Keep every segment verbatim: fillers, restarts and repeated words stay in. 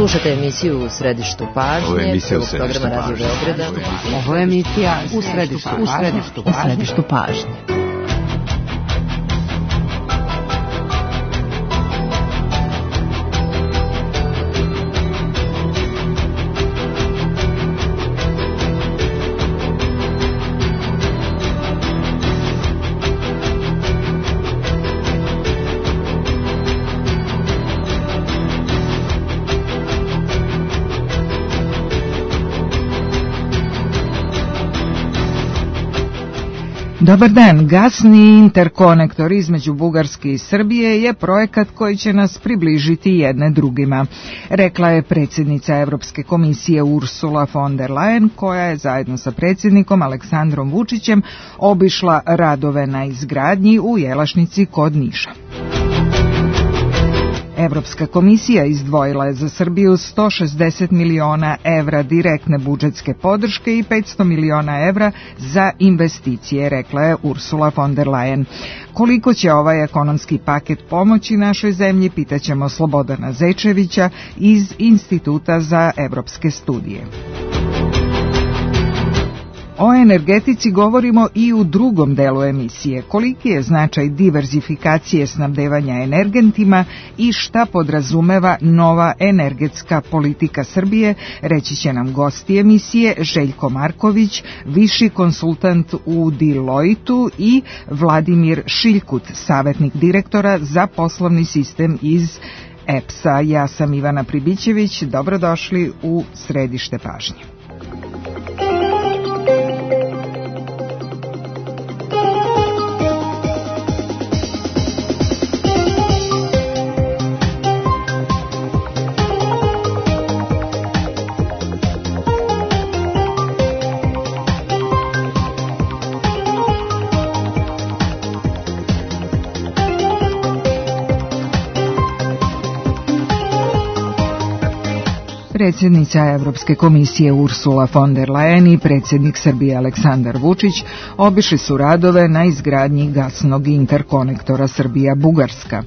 Slušajte emisiju U središtu pažnje, prvog programa Radio Beograda. Ovo je emisija U središtu pažnje. U središtu pažnje. Dobar dan, gasni interkonektor između Bugarske i Srbije je projekat koji će nas približiti jedne drugima, rekla je predsjednica Evropske komisije Ursula von der Leyen, koja je zajedno sa predsjednikom Aleksandrom Vučićem obišla radove na izgradnji u Jelašnici kod Niša. Evropska komisija izdvojila je za Srbiju sto šezdeset miliona evra direktne budžetske podrške i petsto miliona evra za investicije, rekla je Ursula von der Leyen. Koliko će ovaj ekonomski paket pomoći našoj zemlji, pitaćemo Slobodana Zečevića iz Instituta za evropske studije. O energetici govorimo i u drugom delu emisije. Koliki je značaj diverzifikacije snabdevanja energentima i šta podrazumeva nova energetska politika Srbije, reći će nam gosti emisije Željko Marković, viši konsultant u Deloitu, i Vladimir Šiljkut, savjetnik direktora za poslovni sistem iz E P S-a. Ja sam Ivana Pribićević, dobrodošli u središte pažnje. Predsjednica Evropske komisije Ursula von der Leyen i predsjednik Srbije Aleksandar Vučić obišli su radove na izgradnji gasnog interkonektora Srbija-Bugarska.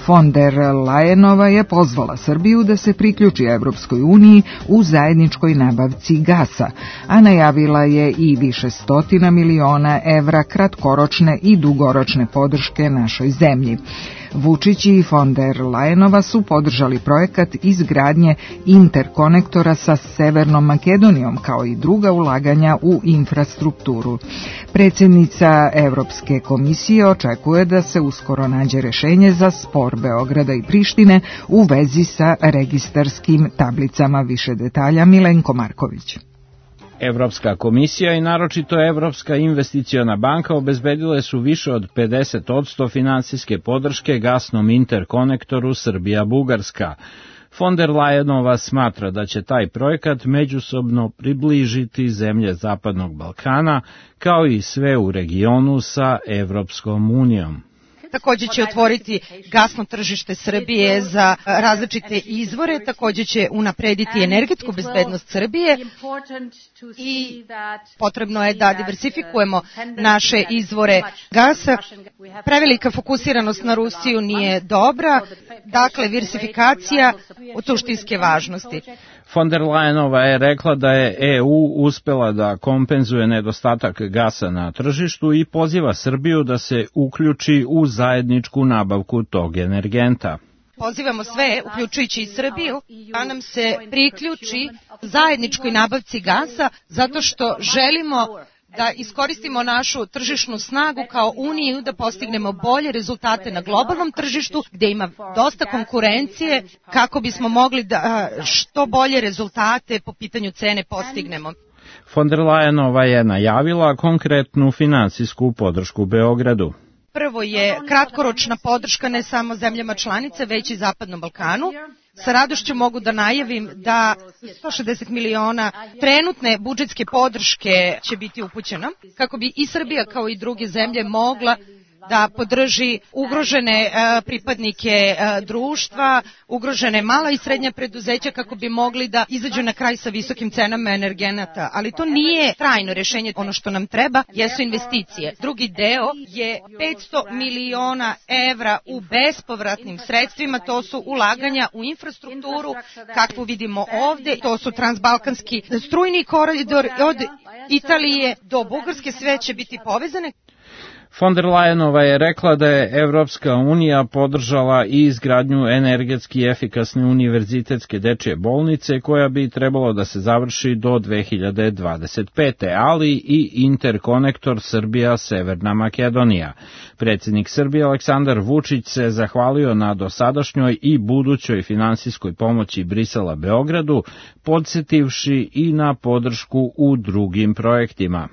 Von der Leyenova je pozvala Srbiju da se priključi Evropskoj uniji u zajedničkoj nabavci gasa, a najavila je i više stotina miliona evra kratkoročne i dugoročne podrške našoj zemlji. Vučić i von der Leyenova su podržali projekat izgradnje interkonektora sa Severnom Makedonijom, kao i druga ulaganja u infrastrukturu. Predsjednica Evropske komisije očekuje da se uskoro nađe rješenje za spor Beograda i Prištine u vezi sa registarskim tablicama. Više detalja Milenko Marković. Evropska komisija i naročito Evropska investiciona banka obezbedile su više od pedeset posto finansijske podrške gasnom interkonektoru Srbija-Bugarska. Von der Leyenova smatra da će taj projekat međusobno približiti zemlje Zapadnog Balkana, kao i sve u regionu sa Evropskom unijom. Također će otvoriti gasno tržište Srbije za različite izvore, također će unaprediti energetsku bezbednost Srbije i potrebno je da diversifikujemo naše izvore gasa. Prevelika fokusiranost na Rusiju nije dobra, dakle diversifikacija od suštinske važnosti. Von der Leyenova je rekla da je E U uspela da kompenzuje nedostatak gasa na tržištu i poziva Srbiju da se uključi u zajedničku nabavku tog energenta. Pozivamo sve, uključujući i Srbiju, da nam se priključi zajedničkoj nabavci gasa, zato što želimo da iskoristimo našu tržišnu snagu kao Uniju, da postignemo bolje rezultate na globalnom tržištu gdje ima dosta konkurencije, kako bismo mogli da što bolje rezultate po pitanju cene postignemo. Von der Leyenova je najavila konkretnu finansijsku podršku Beogradu. Prvo je kratkoročna podrška ne samo zemljama članice, već i Zapadnom Balkanu. Sa radošću mogu da najavim da sto šezdeset miliona trenutne budžetske podrške će biti upućena, kako bi i Srbija kao i druge zemlje mogla da podrži ugrožene uh, pripadnike uh, društva, ugrožene mala i srednja preduzeća kako bi mogli da izađu na kraj sa visokim cenama energenata. Ali to nije trajno rešenje. Ono što nam treba jesu investicije. Drugi deo je petsto miliona evra u bespovratnim sredstvima, to su ulaganja u infrastrukturu, kakvu vidimo ovde, to su transbalkanski strujni koridor od Italije do Bugarske, sve će biti povezane. Von der Leyenova je rekla da je Evropska unija podržala i izgradnju energetski efikasne univerzitetske dečje bolnice koja bi trebalo da se završi do dve hiljade dvadeset pete. ali i interkonektor Srbija-Severna Makedonija. Predsjednik Srbije Aleksandar Vučić se zahvalio na dosadašnjoj i budućoj finansijskoj pomoći Brisela Beogradu, podsjetivši i na podršku u drugim projektima.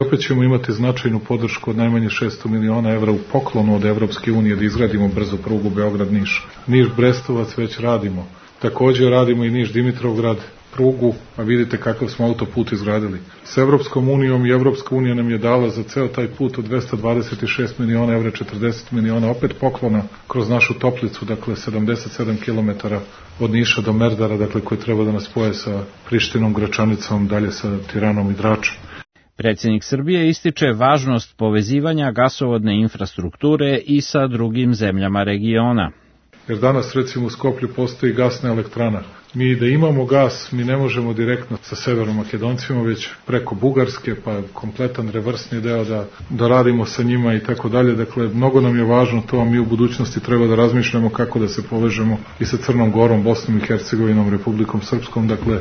Opet ćemo imati značajnu podršku od najmanje šesto miliona evra u poklonu od Evropske unije da izgradimo brzu prugu Beograd-Niš. Niš-Brestovac već radimo. Također radimo i Niš-Dimitrovgrad prugu, a vidite kakav smo autoput izgradili. S Evropskom unijom i Evropska unija nam je dala za ceo taj put od dvesta dvadeset šest miliona evra, četrdeset miliona opet poklona kroz našu Toplicu, dakle sedamdeset sedam kilometara od Niša do Merdara, dakle koji treba da nas spoje sa Prištinom, Gračanicom, dalje sa Tiranom i Dračom. Predsjednik Srbije ističe važnost povezivanja gasovodne infrastrukture i sa drugim zemljama regiona. Jer danas recimo u Skoplju postoji gasna elektrana. Mi da imamo gas, mi ne možemo direktno sa Severnom Makedoncima, već preko Bugarske, pa kompletan reversni deo da, da radimo sa njima i tako dalje. Dakle, mnogo nam je važno to, a mi u budućnosti treba da razmišljamo kako da se povežemo i sa Crnom Gorom, Bosnom i Hercegovinom, Republikom Srpskom. Dakle,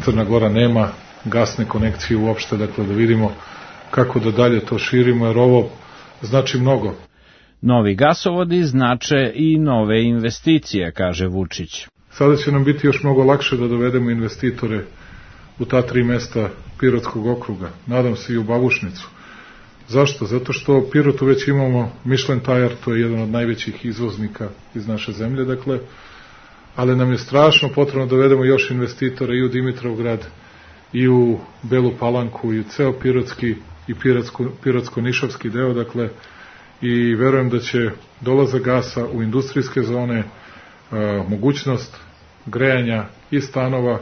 Crna Gora nema gasne konekcije uopšte, dakle da vidimo kako da dalje to širimo, jer ovo znači mnogo. Novi gasovodi znače i nove investicije, kaže Vučić. Sada će nam biti još mnogo lakše da dovedemo investitore u ta tri mesta Pirotskog okruga, nadam se i u Babušnicu. Zašto? Zato što u Pirotu već imamo Michelin Tire, to je jedan od najvećih izvoznika iz naše zemlje, dakle, ali nam je strašno potrebno da dovedemo još investitora i u Dimitrovgrad, i u Belu Palanku, i u ceo Pirotski i Pirotsko-Nišavski deo, dakle, i verujem da će dolazak gasa u industrijske zone, a, mogućnost grejanja i stanova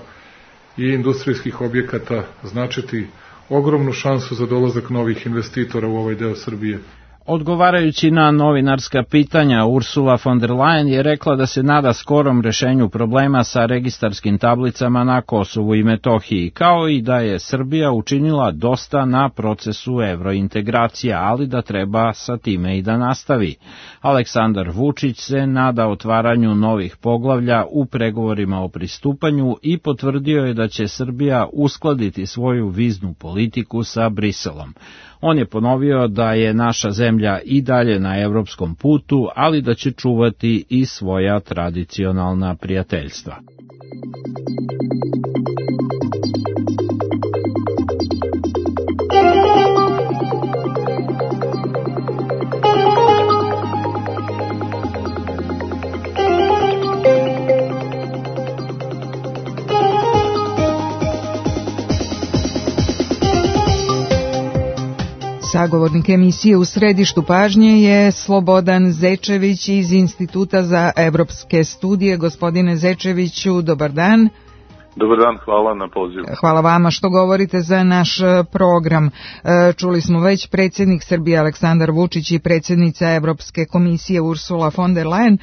i industrijskih objekata značiti ogromnu šansu za dolazak novih investitora u ovaj deo Srbije. Odgovarajući na novinarska pitanja, Ursula von der Leyen je rekla da se nada skorom rešenju problema sa registarskim tablicama na Kosovu i Metohiji, kao i da je Srbija učinila dosta na procesu evrointegracija, ali da treba sa time i da nastavi. Aleksandar Vučić se nada otvaranju novih poglavlja u pregovorima o pristupanju i potvrdio je da će Srbija uskladiti svoju viznu politiku sa Briselom. On je ponovio da je naša zemlja i dalje na evropskom putu, ali da će čuvati i svoja tradicionalna prijateljstva. Sagovornik emisije U središtu pažnje je Slobodan Zečević iz Instituta za evropske studije. Gospodine Zečeviću, dobar dan. Dobar dan, hvala na pozivu. Hvala vama što govorite za naš program. Čuli smo već, predsjednik Srbije Aleksandar Vučić i predsjednica Evropske komisije Ursula von der Leyen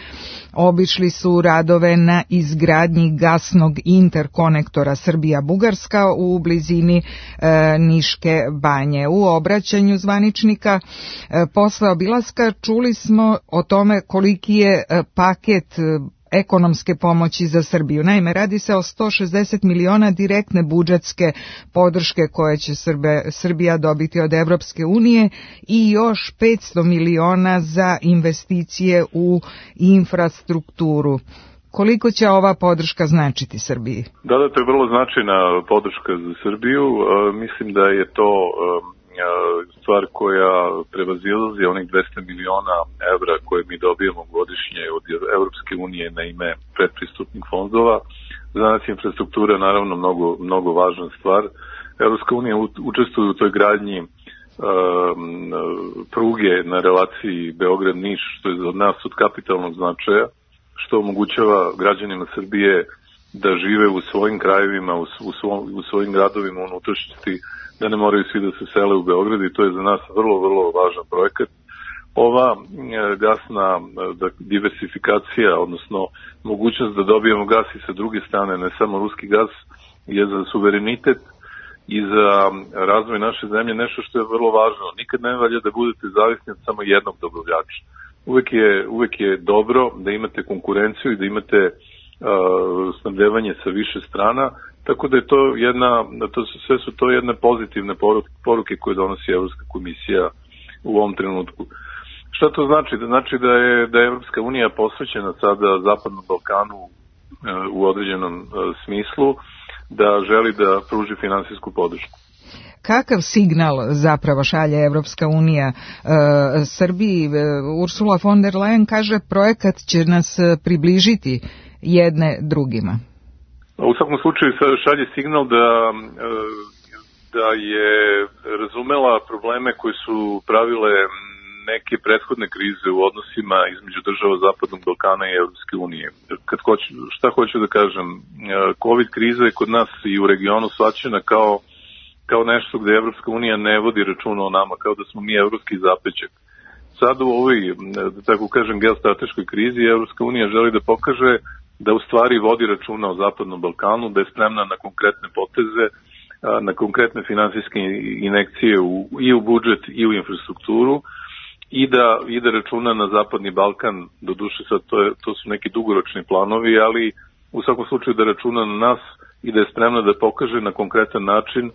obišli su radove na izgradnji gasnog interkonektora Srbija-Bugarska u blizini e, Niške banje. U obraćanju zvaničnika e, posle obilaska čuli smo o tome koliki je e, paket e, ekonomske pomoći za Srbiju. Naime, radi se o sto šezdeset miliona direktne budžetske podrške koje će Srbe, Srbija dobiti od Evropske unije i još petsto miliona za investicije u infrastrukturu. Koliko će ova podrška značiti Srbiji? Da, da, to je vrlo značajna podrška za Srbiju. E, mislim da je to e, stvar koja prevazilazi onih dvesta miliona evra koje mi dobijemo godišnje od Evropske unije na ime predpristupnih fondova. Za nas je infrastruktura naravno mnogo, mnogo važna stvar. Evropska unija učestvuje u toj gradnji pruge na relaciji Beograd-Niš, što je od nas od kapitalnog značaja, što omogućava građanima Srbije da žive u svojim krajevima, u, svo, u svojim gradovima, u unutrašnjosti, da ne moraju svi da se sele u Beograd, i to je za nas vrlo, vrlo važan projekat. Ova gasna diversifikacija, odnosno mogućnost da dobijemo gas i sa druge strane, ne samo ruski gas, je za suverenitet i za razvoj naše zemlje nešto što je vrlo važno. Nikad ne valja da budete zavisni od samo jednog dobavljača. Uvek je, uvek je dobro da imate konkurenciju i da imate uh, snabdevanje sa više strana, tako da je to jedna, to su, sve su to jedne pozitivne poruke, poruke koje donosi Evropska komisija u ovom trenutku. Šta to znači? Da znači da je, da je Evropska unija posvećena sada Zapadnom Balkanu uh, u određenom uh, smislu, da želi da pruži finansijsku podršku. Kakav signal zapravo šalje Evropska unija e, Srbiji? E, Ursula von der Leyen kaže projekat će nas približiti jedne drugima. U svakom slučaju šalje signal da, da je razumela probleme koji su pravile neke prethodne krize u odnosima između država Zapadnog Balkana i Evropske unije. Kad hoću, šta hoću da kažem, COVID kriza je kod nas i u regionu shvaćena kao, kao nešto gde Evropska unija ne vodi računa o nama, kao da smo mi evropski zapećak. Sad u ovoj, da tako kažem, geostrateškoj krizi Evropska unija želi da pokaže da u stvari vodi računa o Zapadnom Balkanu, da je spremna na konkretne poteze, na konkretne finansijske injekcije u, i u budžet i u infrastrukturu, i da ide računa na Zapadni Balkan, do duše sad to, je, to su neki dugoročni planovi, ali u svakom slučaju da računa na nas i da je spremna da pokaže na konkretan način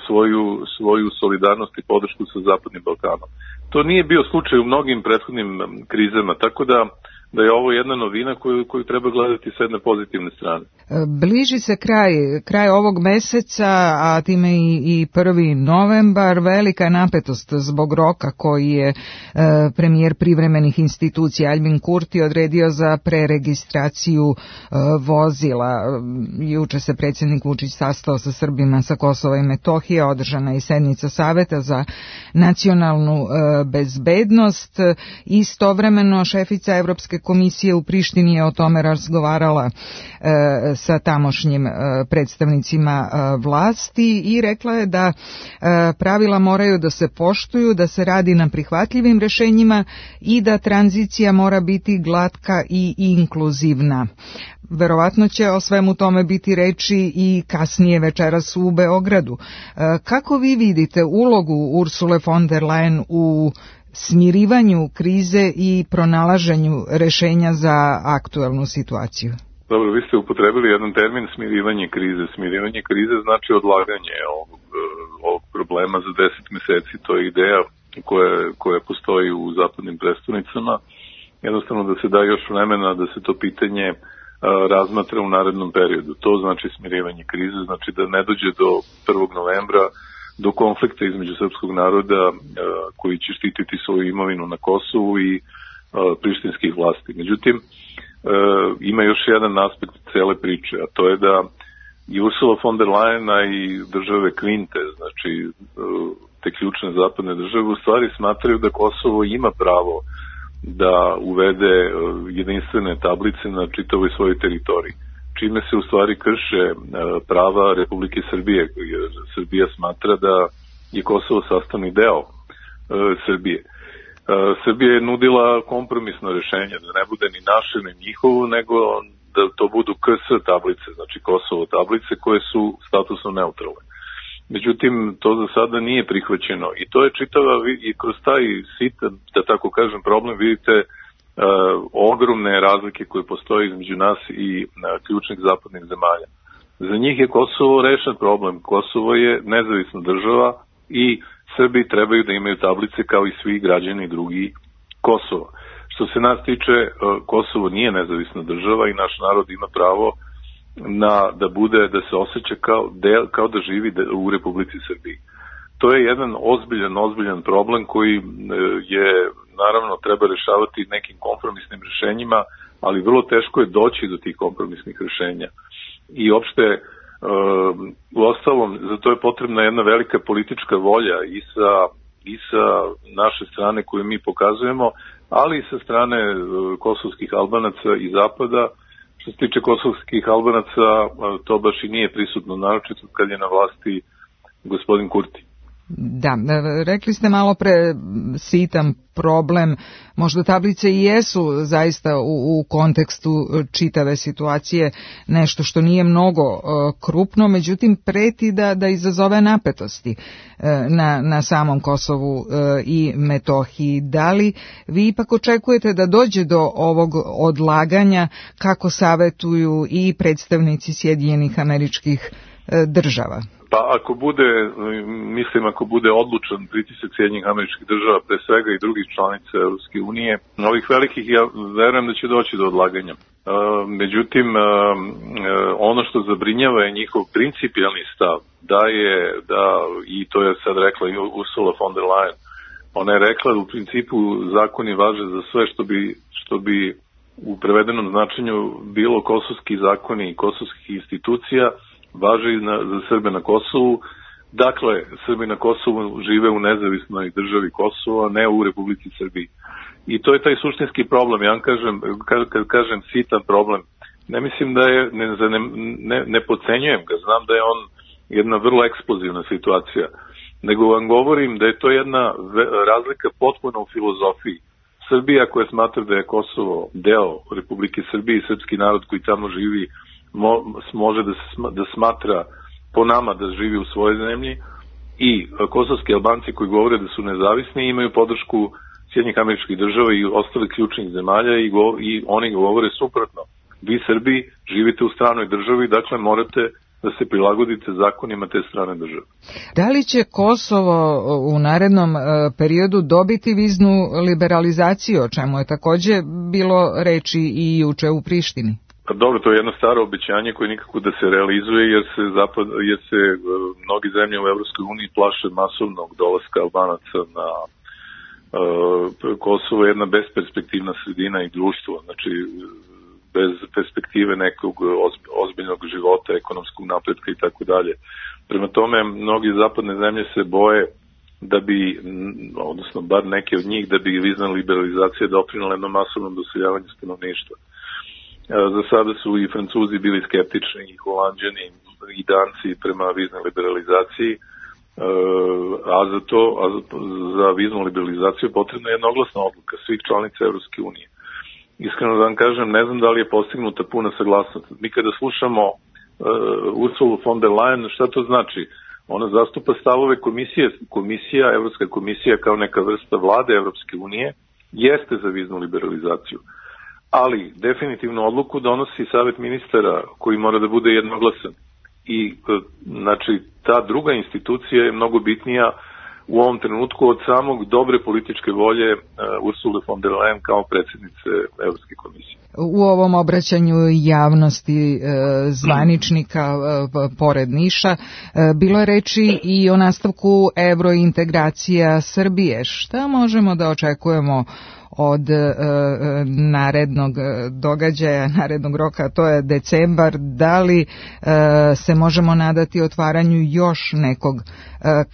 svoju, svoju solidarnost i podršku sa Zapadnim Balkanom. To nije bio slučaj u mnogim prethodnim krizama, tako da da je ovo jedna novina koju, koju treba gledati sa jedne pozitivne strane. Bliži se kraj, kraj ovog meseca, a time i, i prvi novembar, velika napetost zbog roka koji je e, premijer privremenih institucija Albin Kurti odredio za preregistraciju e, vozila. Juče se predsjednik Vučić sastao sa Srbima sa Kosova i Metohije, održana je sednica Saveta za nacionalnu e, bezbednost. Istovremeno šefica Evropske komisije u Prištini je o tome razgovarala e, sa tamošnjim e, predstavnicima e, vlasti i rekla je da e, pravila moraju da se poštuju, da se radi na prihvatljivim rešenjima i da tranzicija mora biti glatka i inkluzivna. Verovatno će o svemu tome biti reči i kasnije večeras u Beogradu. E, kako vi vidite ulogu Ursule von der Leyen u smirivanju krize i pronalaženju rešenja za aktuelnu situaciju? Dobro, vi ste upotrebili jedan termin smirivanje krize. Smirivanje krize znači odlaganje ovog, ovog problema za deset meseci. To je ideja koja, koja postoji u zapadnim prestonicama. Jednostavno da se da još vremena da se to pitanje a, razmatra u narednom periodu. To znači smirivanje krize, znači da ne dođe do prvog novembra do konflikta između srpskog naroda a, koji će štititi svoju imovinu na Kosovu i a, prištinskih vlasti. Međutim, a, ima još jedan aspekt cele priče, a to je da i Ursula von der Leyen i države Kvinte, znači a, te ključne zapadne države, u stvari smatraju da Kosovo ima pravo da uvede a, jedinstvene tablice na čitavoj svojoj teritoriji, čime se u stvari krše prava Republike Srbije, jer Srbija smatra da je Kosovo sastavni deo e, Srbije. E, Srbija je nudila kompromisno rešenje, da ne bude ni naše, ni njihovo, nego da to budu K S tablice, znači Kosovo tablice koje su statusno neutralne. Međutim, to za sada nije prihvaćeno i to je čitava, i kroz taj sitan, da tako kažem, problem vidite Uh, ogromne razlike koje postoje između nas i uh, ključnih zapadnih zemalja. Za njih je Kosovo rešen problem. Kosovo je nezavisna država i Srbi trebaju da imaju tablice kao i svi građani drugi Kosova. Što se nas tiče, uh, Kosovo nije nezavisna država i naš narod ima pravo na, da bude, da se osjeća kao, del, kao da živi de, u Republici Srbiji. To je jedan ozbiljan, ozbiljan problem koji uh, je naravno treba rešavati nekim kompromisnim rešenjima, ali vrlo teško je doći do tih kompromisnih rešenja. I opšte, u ostalom, za to je potrebna jedna velika politička volja i sa i sa naše strane koje mi pokazujemo, ali i sa strane kosovskih Albanaca i Zapada. Što se tiče kosovskih Albanaca, to baš i nije prisutno, naročito kad je na vlasti gospodin Kurti. Da, rekli ste malo pre sitan problem, možda tablice i jesu zaista u, u kontekstu čitave situacije nešto što nije mnogo uh, krupno, međutim preti da, da izazove napetosti uh, na, na samom Kosovu uh, i Metohiji. Da li vi ipak očekujete da dođe do ovog odlaganja kako savetuju i predstavnici Sjedinjenih Američkih uh, država? Pa ako bude, mislim ako bude odlučan pritisak Sjedinjenih Američkih Država, pre svega i drugih članica Europske unije, ovih velikih, ja verujem da će doći do odlaganja. E, međutim, e, ono što zabrinjava je njihov principijalni stav, da je, da, i to je sad rekla i Ursula von der Leyen, ona je rekla da u principu zakoni važe za sve što bi, što bi u prevedenom značenju bilo kosovski zakoni i kosovskih institucija, važe i na, za Srbe na Kosovu. Dakle, Srbi na Kosovu žive u nezavisnoj državi Kosova, ne u Republici Srbiji. I to je taj suštinski problem. Ja vam kažem, kad, kad kažem sitan problem, ne mislim da je, ne, ne, ne, ne podcenjujem ga, znam da je on jedna vrlo eksplozivna situacija, nego vam govorim da je to jedna razlika potpuno u filozofiji. Srbija koja smatra da je Kosovo deo Republike Srbije i srpski narod koji tamo živi može da, da smatra po nama da živi u svojoj zemlji, i kosovski Albanci koji govore da su nezavisni imaju podršku Sjedinjenih Američkih Država i ostalih ključnih zemalja i, go, i oni govore suprotno. Vi Srbi živite u stranoj državi, dakle morate da se prilagodite zakonima te strane države. Da li će Kosovo u narednom periodu dobiti viznu liberalizaciju, o čemu je takođe bilo reči i juče u Prištini? Dobro, to je jedno staro obećanje koje nikako da se realizuje, jer se, zapad, jer se uh, mnogi zemlje u Evropskoj uniji plaše masovnog dolaska Albanaca na uh, Kosovo, jedna besperspektivna sredina i društvo, znači bez perspektive nekog ozbiljnog života, ekonomskog napretka i tako dalje. Prema tome, mnogi zapadne zemlje se boje da bi, odnosno bar neke od njih, da bi vizna liberalizacija doprinela jednom masovnom doseljavanju stanovništva. Za sada su i Francuzi bili skeptični, i Holanđani, i Danci prema viznoj liberalizaciji, a za to, a za viznu liberalizaciju potrebna je jednoglasna odluka svih članica Evropske unije. Iskreno da vam kažem, ne znam da li je postignuta puna saglasnost. Mi kada slušamo uh, Ursulu von der Leyen, šta to znači? Ona zastupa stavove komisije, komisija, Evropska komisija kao neka vrsta vlade Evropske unije, jeste za viznu liberalizaciju. Ali definitivno odluku donosi Savet ministara koji mora da bude jednoglasan. I znači ta druga institucija je mnogo bitnija u ovom trenutku od samog dobre političke volje uh, Ursule von der Leyen kao predsjednice Evropske komisije. U ovom obraćanju javnosti e, zvaničnika e, pored Niša e, bilo je reči i o nastavku evrointegracija Srbije. Šta možemo da očekujemo od e, narednog događaja, narednog roka, to je decembar? Da li e, se možemo nadati otvaranju još nekog e,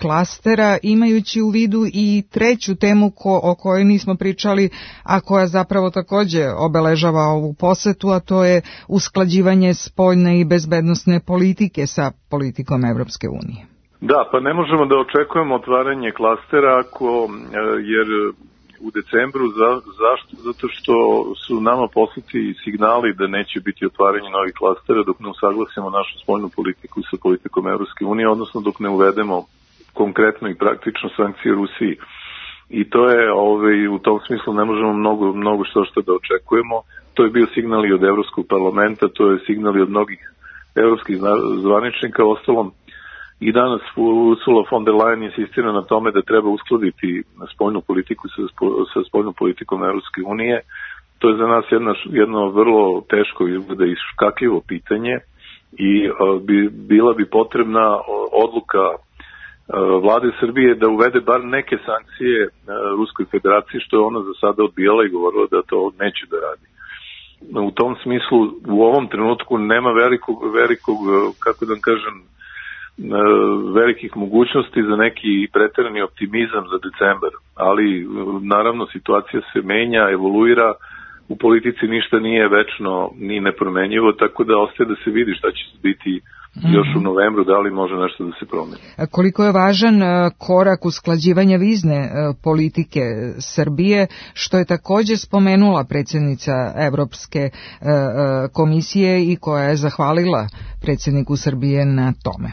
klastera, imajući u vidu i treću temu ko, o kojoj nismo pričali, a koja zapravo takođe obeležava ovu posetu, a to je usklađivanje spoljne i bezbednosne politike sa politikom Evropske unije. Da, pa ne možemo da očekujemo otvaranje klastera ako, jer u decembru, za, zašto? Zato što su nama poslati signali da neće biti otvaranje novih klastera dok ne usaglasimo našu spoljnu politiku sa politikom Evropske unije, odnosno dok ne uvedemo konkretno i praktično sankcije Rusiji. I to je, ovaj, u tom smislu ne možemo mnogo, mnogo što što da očekujemo. To je bio signal i od Evropskog parlamenta, to je signal i od mnogih evropskih zvaničnika. Ostalom, i danas Ursula von der Leyen insistira na tome da treba uskladiti spoljnu politiku sa, sa spoljnom politikom Evropske unije. To je za nas jedna, jedno vrlo teško izgleda i škakljivo pitanje i a, bi, bila bi potrebna odluka Vlade Srbije da uvede bar neke sankcije Ruskoj federaciji, što je ona za sada odbijala i govorila da to neće da radi. U tom smislu u ovom trenutku nema velikog, velikog kako da kažem, velikih mogućnosti za neki preterani optimizam za decembar, ali naravno situacija se menja, evoluira, u politici ništa nije večno ni nepromenjivo, tako da ostaje da se vidi šta će biti još u novembru, da li može nešto da se promeni. Koliko je važan korak usklađivanja vizne politike Srbije, što je također spomenula predsjednica Evropske komisije i koja je zahvalila predsjedniku Srbije na tome.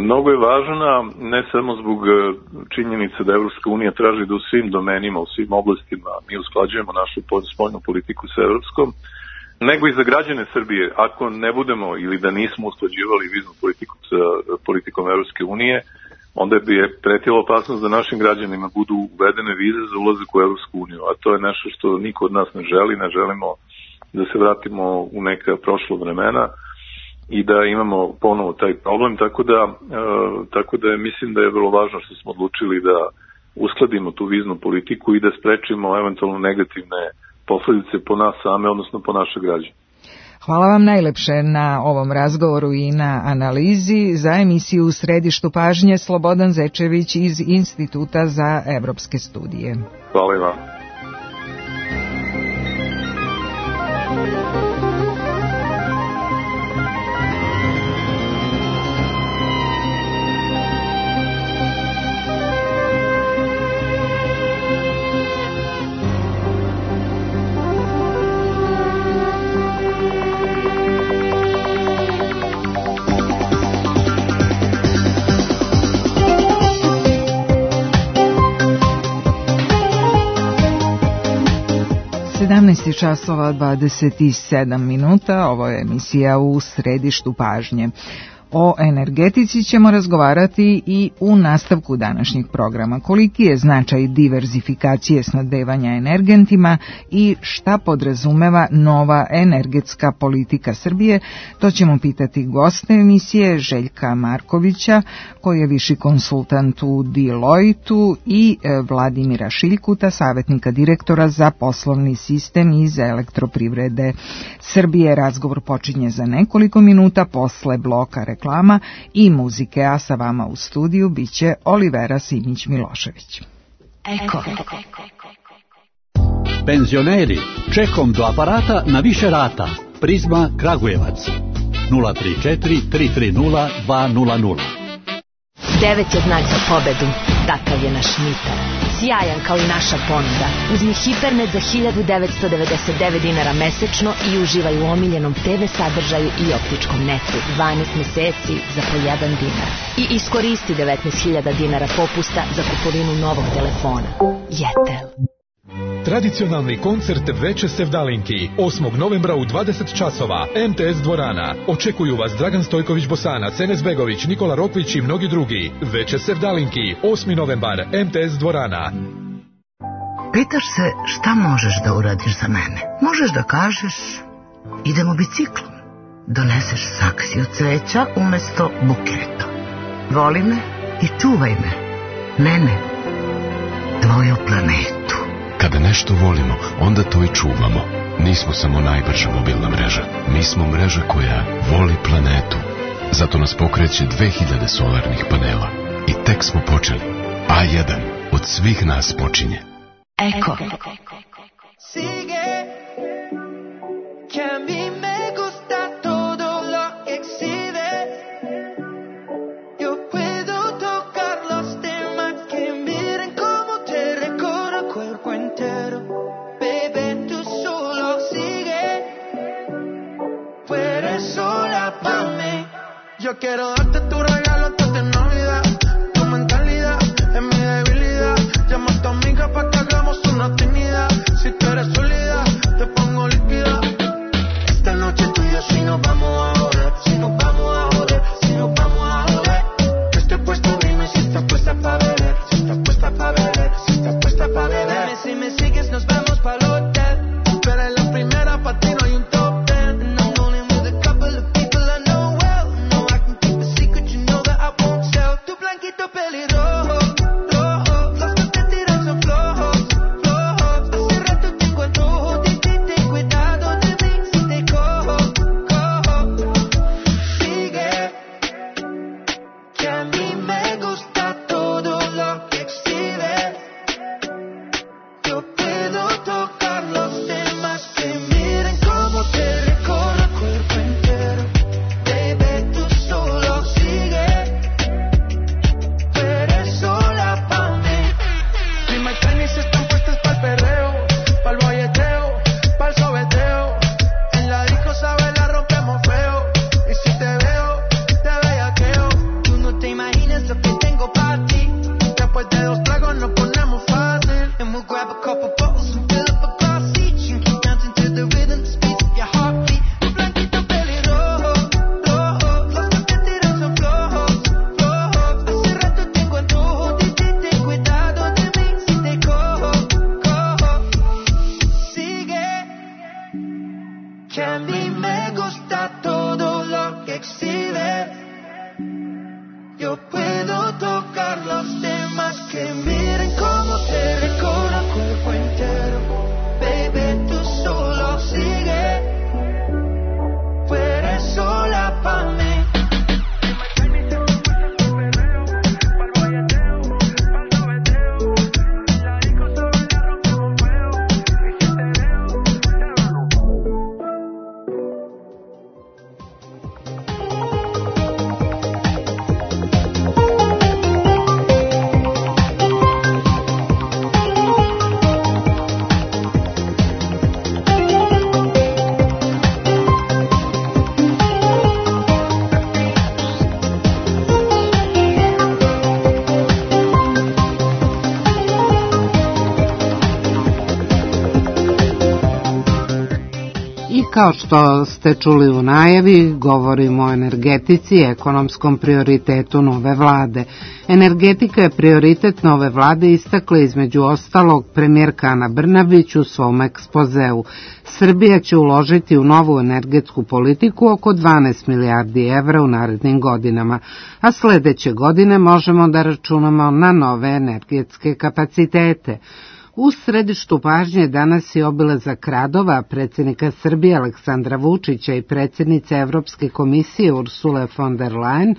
Mnogo je važna, ne samo zbog činjenica da Evropska unija traži da u svim domenima, u svim oblastima mi usklađujemo našu spoljnu politiku sa evropskom, nego i za građane Srbije. Ako ne budemo ili da nismo usklađivali viznu politiku sa politikom Evropske unije, onda bi je pretila opasnost da našim građanima budu uvedene vize za ulazak u Evropsku uniju, a to je nešto što niko od nas ne želi, ne želimo da se vratimo u neka prošla vremena i da imamo ponovo taj problem, tako da, e, tako da je, mislim da je vrlo važno što smo odlučili da uskladimo tu viznu politiku i da sprečimo eventualno negativne posledice po nas same, odnosno po naše građane. Hvala vam najlepše na ovom razgovoru i na analizi. Za emisiju U središtu pažnje Slobodan Zečević iz Instituta za evropske studije. Hvala i vam. sedamnaest časova dvadeset sedam minuta, ovo je emisija U središtu pažnje. O energetici ćemo razgovarati i u nastavku današnjeg programa. Koliki je značaj diverzifikacije snabdevanja energentima i šta podrazumeva nova energetska politika Srbije, to ćemo pitati goste emisije Željka Markovića, koji je viši konsultant u Deloitu, i Vladimira Šiljkuta, savjetnika direktora za poslovni sistem iz Elektroprivrede Srbije. Razgovor počinje za nekoliko minuta posle bloka reklama i muzike, a sa vama u studiju biće Olivera Simić-Milošević. Eko. Penzioneri, čekom do aparata na više rata. Prizma Kragujevac. nula tri četiri tri tri nula dva nula nula. Devet je znak za pobedu. Takav je naš mitar. Sjajan kao i naša ponuda. Uzmi Hipernet za hiljadu devetsto devedeset devet dinara mesečno i uživaj u omiljenom te ve sadržaju i optičkom netu. dvanaest meseci za po jedan dinar. I iskoristi devetnaest hiljada dinara popusta za kupovinu novog telefona. Jetel. Tradicionalni koncert Veče sevdalinki osmog novembra u dvadeset časova, em te es dvorana. Očekuju vas Dragan Stojković Bosanac, Enes Begović, Nikola Rokvić i mnogi drugi. Veče sevdalinki, osmi novembar, em te es dvorana. Pitaš se šta možeš da uradiš za mene? Možeš da kažeš idemo biciklom. Doneseš saksiju cveća umesto buketa. Voli me i čuvaj me. Mene, tvoju planetu. Kada nešto volimo, onda to i čuvamo. Nismo samo najbrža mobilna mreža. Mi smo mreža koja voli planetu. Zato nas pokreće dve hiljade solarnih panela. I tek smo počeli. A jedan od svih nas počinje. Eko. Yo quiero darte tu regalo antes de Navidad. Tu mentalidad es mi debilidad. Llama a tu amiga pa' que hagamos una actividad. Si tú eres sólida, te pongo líquida. Esta noche tú y yo si nos vamos a joder. Si nos vamos a joder, si nos vamos a joder. Que estoy puesto, dime si estás puesta pa' beber. Si estás puesta pa' beber, si estás puesta pa' beber. Dime si me sigues, nos vamos pa'l hotel. Tú eres la primera, pa' ti no hay un top ten. And I'm only with a couple of people I know well. No, I can keep a secret, you know. que a mí me gusta todo lo que exhibe. Yo puedo tocar los temas que miren cómo te recorro el cuerpo entero. Baby, tú solo sigue. Tú eres sola pa' mí. Kao što ste čuli u najavi, govorimo o energetici i ekonomskom prioritetu nove vlade. Energetika je prioritet nove vlade, istakla između ostalog premijerka Ana Brnabić u svom ekspozeu. Srbija će uložiti u novu energetsku politiku oko dvanaest milijardi evra u narednim godinama, a sledeće godine možemo da računamo na nove energetske kapacitete. U središtu pažnje danas je obilazak radova predsjednika Srbije Aleksandra Vučića i predsjednice Evropske komisije Ursule von der Leyen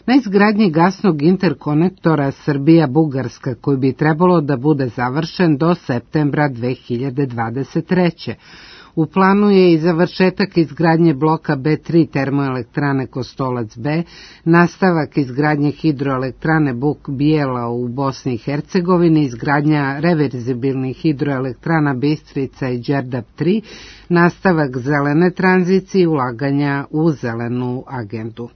na izgradnji gasnog interkonektora Srbija-Bugarska, koji bi trebalo da bude završen do septembra dve hiljade dvadeset treće. U planu je i završetak izgradnje bloka B tri termoelektrane Kostolac B, nastavak izgradnje hidroelektrane Buk Bijela u Bosni i Hercegovini, izgradnja reverzibilnih hidroelektrana Bistrica i Đerdap tri, nastavak zelene tranzicije i ulaganja u zelenu agendu.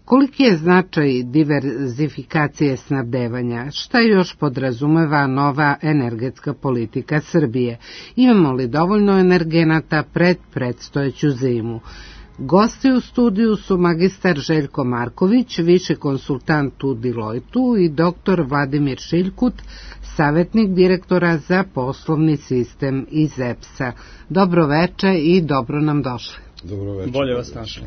Koliki je značaj diverzifikacije snabdevanja? Šta još podrazumeva nova energetska politika Srbije? Imamo li dovoljno energenata pred predstojeću zimu? Gosti u studiju su magistar Željko Marković, viši konsultant u Deloitu, i doktor Vladimir Šiljkut, savjetnik direktora za poslovni sistem iz E P S-a. Dobro veče i dobro nam došli. Dobro veče. Bolje vas našli.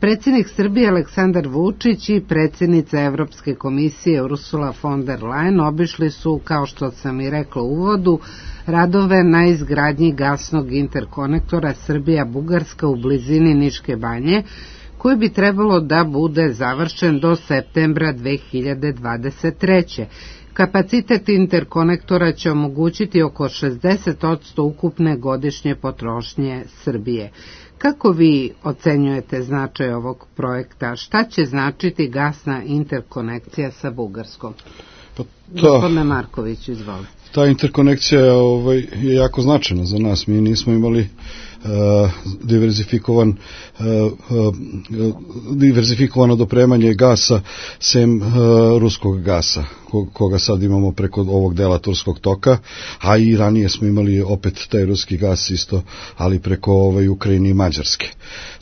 Predsjednik Srbije Aleksandar Vučić i predsjednica Evropske komisije Ursula von der Leyen obišli su, kao što sam i rekla u uvodu, radove na izgradnji gasnog interkonektora Srbija-Bugarska u blizini Niške banje, koji bi trebalo da bude završen do septembra dve hiljade dvadeset treće. Kapacitet interkonektora će omogućiti oko šezdeset posto ukupne godišnje potrošnje Srbije. Kako vi ocenjujete značaj ovog projekta? Šta će značiti gasna interkonekcija sa Bugarskom? Pa ta, Gospodine Marković, izvolite. Ta interkonekcija je, ovaj, je jako značajna za nas. Mi nismo imali uh, diverzifikovan uh, uh, diverzifikovano dopremanje gasa sem uh, ruskog gasa, koga sad imamo preko ovog dela Turskog toka, a i ranije smo imali opet taj ruski gas isto, ali preko ovaj, Ukrajine i Mađarske.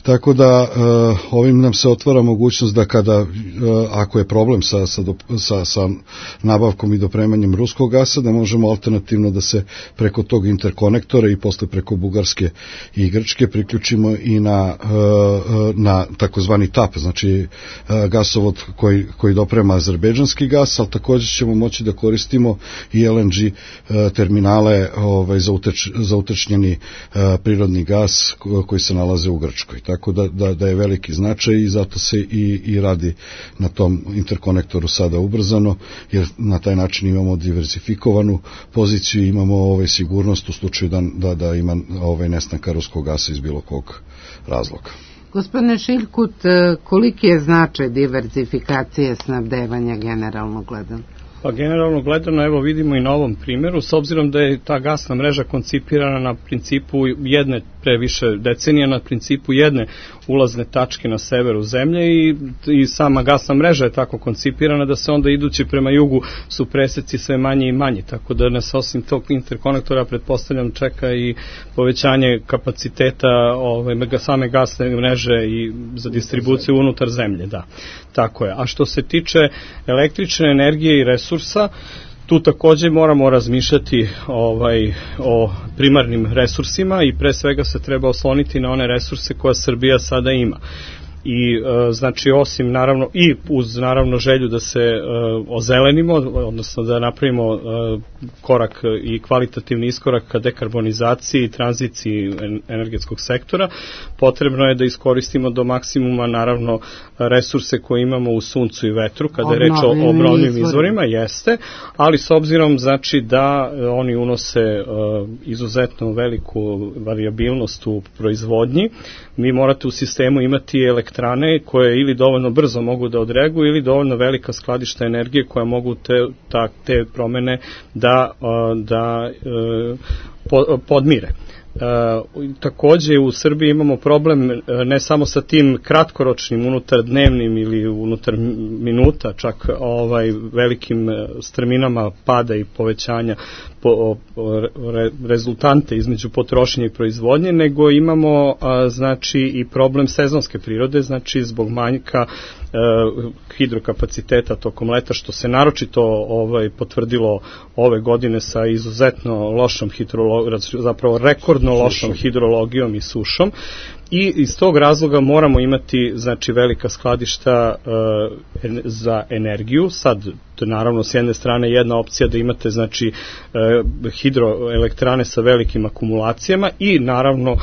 Tako da uh, ovim nam se otvara mogućnost da kada, uh, ako je problem sa, sa, sa, sa nabavkom i dopremanjem ruskog gasa, da možemo alternativno da se preko tog interkonektora i posle preko Bugarske i Grčke priključimo i na, uh, na takozvani TAP, znači uh, gasovod koji, koji doprema azerbejdžanski gas, ali također ćemo moći da koristimo i L N G uh, terminale ovaj, za, uteč, za utečnjeni uh, prirodni gas koji se nalaze u Grčkoj. Tako da, da, da je veliki značaj i zato se i, i radi na tom interkonektoru sada ubrzano, jer na taj način imamo diversifikovanu poziciju, imamo ovaj, sigurnost u slučaju da, da, da ima ovaj, nestanka ruskog gasa iz bilo kog razloga. Gospodine Šiljkut, koliki je značaj diverzifikacije snabdevanja generalno gledano? Pa generalno gledano, evo vidimo i na ovom primjeru, s obzirom da je ta gasna mreža koncipirana na principu jedne, pre više decenija, na principu jedne ulazne tačke na severu zemlje i, i sama gasna mreža je tako koncipirana da se onda idući prema jugu su preseci sve manji i manji, tako da nas osim tog interkonektora pretpostavljam čeka i povećanje kapaciteta ove, same gasne mreže i za distribuciju unutar zemlje, da, tako je. A što se tiče električne energije i resursa, Tu takođe moramo razmišljati ovaj, o primarnim resursima i pre svega se treba osloniti na one resurse koje Srbija sada ima. I e, znači osim naravno i uz naravno želju da se e, ozelenimo, odnosno da napravimo e, korak i kvalitativni iskorak ka dekarbonizaciji i tranziciji energetskog sektora, potrebno je da iskoristimo do maksimuma naravno resurse koje imamo u suncu i vetru kada je reč o obnovljivim izvorima, jeste, ali s obzirom znači da oni unose e, izuzetno veliku variabilnost u proizvodnji, mi morate u sistemu imati elektrane koje ili dovoljno brzo mogu da odreaguju ili dovoljno velika skladišta energije koja mogu te, ta, te promene da, da podmire. E, takođe u Srbiji imamo problem ne samo sa tim kratkoročnim unutar dnevnim ili unutar minuta, čak ovaj velikim strminama pada i povećanja po, re, rezultante između potrošnje i proizvodnje, nego imamo a, znači i problem sezonske prirode, znači zbog manjka e, hidrokapaciteta tokom leta, što se naročito ovaj potvrdilo ove godine sa izuzetno lošom hidrologijom, zapravo rekordno lošom hidrologijom i sušom. I iz tog razloga moramo imati znači velika skladišta e, za energiju. Sad naravno s jedne strane jedna opcija da imate znači e, hidroelektrane sa velikim akumulacijama i naravno e,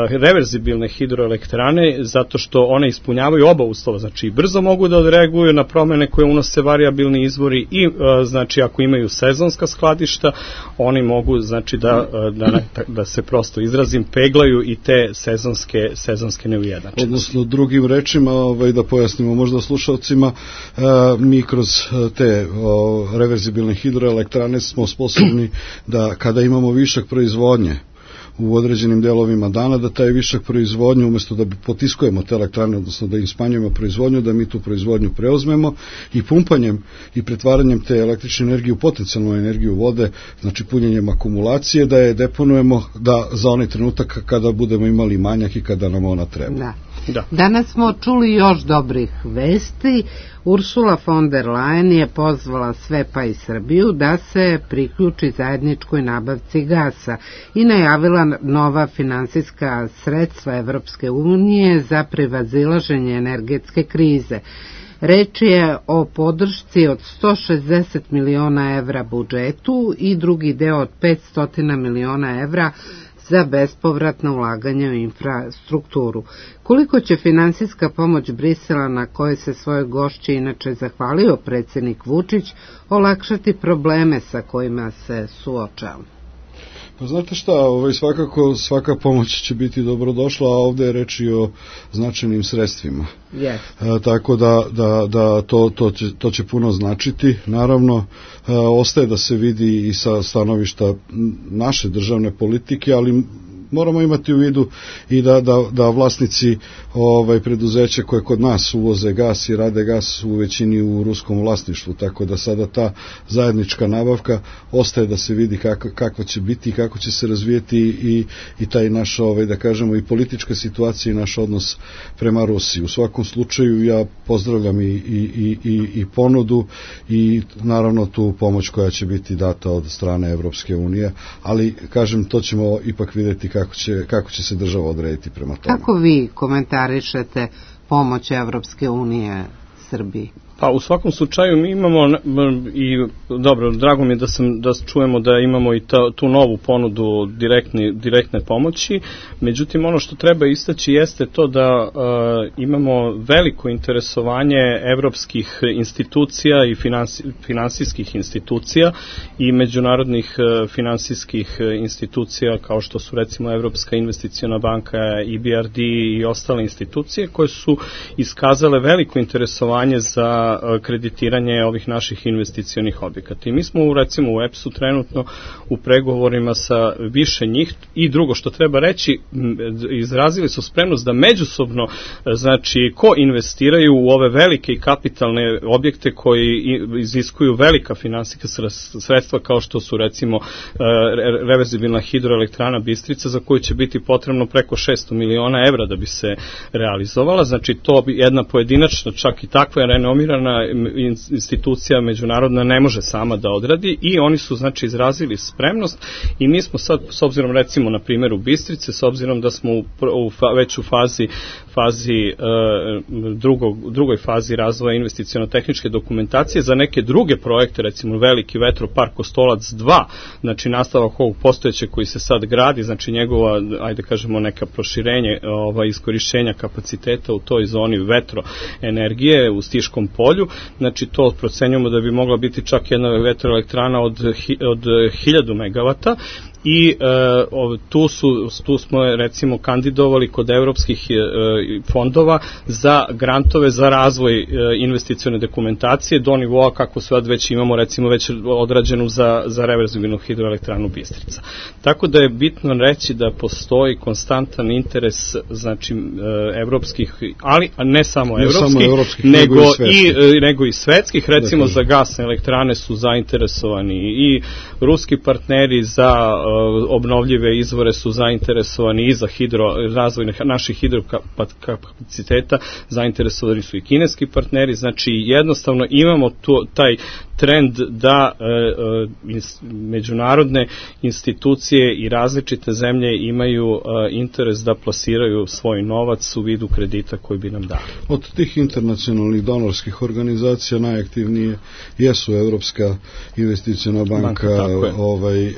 reverzibilne hidroelektrane, zato što one ispunjavaju oba uslova, znači brzo mogu da odreaguju na promene koje unose variabilni izvori i e, znači ako imaju sezonska skladišta, oni mogu znači da, da, da se prosto izrazim peglaju i te sezonske sezonske neujednačenosti. Odnosno drugim rečima, ovaj, da pojasnimo možda slušalcima, e, mi kroz te o, reverzibilne hidroelektrane smo sposobni da kada imamo višak proizvodnje u određenim delovima dana, da taj višak proizvodnje, umesto da potiskujemo te elektrane, odnosno da im smanjujemo proizvodnju, da mi tu proizvodnju preuzmemo i pumpanjem i pretvaranjem te električne energije u potencijalnu energiju vode, znači punjenjem akumulacije, da je deponujemo da za onaj trenutak kada budemo imali manjak i kada nam ona treba. Da. Da. Danas smo čuli još dobrih vesti. Ursula von der Leyen je pozvala sve pa i Srbiju da se priključi zajedničkoj nabavci gasa i najavila nova finansijska sredstva Evropske unije za prevazilaženje energetske krize. Reč je o podršci od sto šezdeset miliona evra budžetu i drugi deo od petsto miliona evra za bespovratno ulaganje u infrastrukturu. Koliko će finansijska pomoć Brisela, na kojoj se svoje gošći inače zahvalio predsjednik Vučić, olakšati probleme sa kojima se suočava? Pa znate šta, ovaj, svakako svaka pomoć će biti dobrodošla, a ovde je reč i o značajnim sredstvima. Yes. E, tako da, da, da to, to, će, to će puno značiti. Naravno, e, ostaje da se vidi i sa stanovišta naše državne politike, ali moramo imati u vidu i da, da, da vlasnici ovaj, preduzeća koje kod nas uvoze gas i rade gas u većini u ruskom vlasništvu, tako da sada ta zajednička nabavka ostaje da se vidi kako, kako će biti i kako će se razvijeti i, i taj naš, ovaj, da kažemo, i politička situacija i naš odnos prema Rusiji. U svakom slučaju ja pozdravljam i, i, i, i ponudu i naravno tu pomoć koja će biti data od strane Evropske unije, ali kažem, to ćemo ipak vidjeti kako će, kako će se država odrediti prema tome. Kako vi komentarišete pomoć Evropske unije Srbiji? Pa u svakom slučaju mi imamo i dobro, drago mi je da sam da čujemo da imamo i ta, tu novu ponudu direktni, direktne pomoći. Međutim, ono što treba istaći jeste to da uh, imamo veliko interesovanje evropskih institucija i finansi, finansijskih institucija i međunarodnih uh, finansijskih institucija kao što su recimo Evropska investiciona banka, E B R D i ostale institucije koje su iskazale veliko interesovanje za kreditiranje ovih naših investicionih objekata. I mi smo recimo u E P S-u trenutno u pregovorima sa više njih i drugo što treba reći, izrazili su spremnost da međusobno, znači, ko investiraju u ove velike i kapitalne objekte koji iziskuju velika finansijska sredstva kao što su recimo reverzibilna hidroelektrana Bistrica za koju će biti potrebno preko šesto miliona evra da bi se realizovala. Znači to bi jedna pojedinačna, čak i takva renomirana koncipirana, institucija međunarodna ne može sama da odradi i oni su znači izrazili spremnost i mi smo sad, s obzirom recimo na primjeru Bistrice, s obzirom da smo u, u fa, već u fazi, fazi e, drugog, drugoj fazi razvoja investiciono-tehničke dokumentacije za neke druge projekte, recimo veliki vetropark Kostolac dva, znači nastavak ovog postojećeg koji se sad gradi, znači njegova, ajde kažemo, neka proširenje ova, iskorišćenja kapaciteta u toj zoni vetroenergije u Stiškom polju, znači to procenjujemo da bi mogla biti čak jedna vetroelektrana od, od hiljadu megavata. I e, tu, su, tu smo recimo kandidovali kod evropskih e, fondova za grantove za razvoj e, investicione dokumentacije do nivoa kako sad već imamo recimo već odrađenu za, za reverzibilnu hidroelektranu Bistrica. Tako da je bitno reći da postoji konstantan interes znači e, evropskih, ali ne samo evropskih, ne evropskih nego, nego, i, i, nego i svetskih, recimo za gasne elektrane su zainteresovani i ruski partneri za obnovljive izvore su zainteresovani i za hidro, razvoj naših hidrokapaciteta, zainteresovani su i kineski partneri, znači jednostavno imamo tu, taj trend da e, e, međunarodne institucije i različite zemlje imaju e, interes da plasiraju svoj novac u vidu kredita koji bi nam dali. Od tih internacionalnih donorskih organizacija najaktivnije jesu Evropska investiciona banka, banka ovaj, e,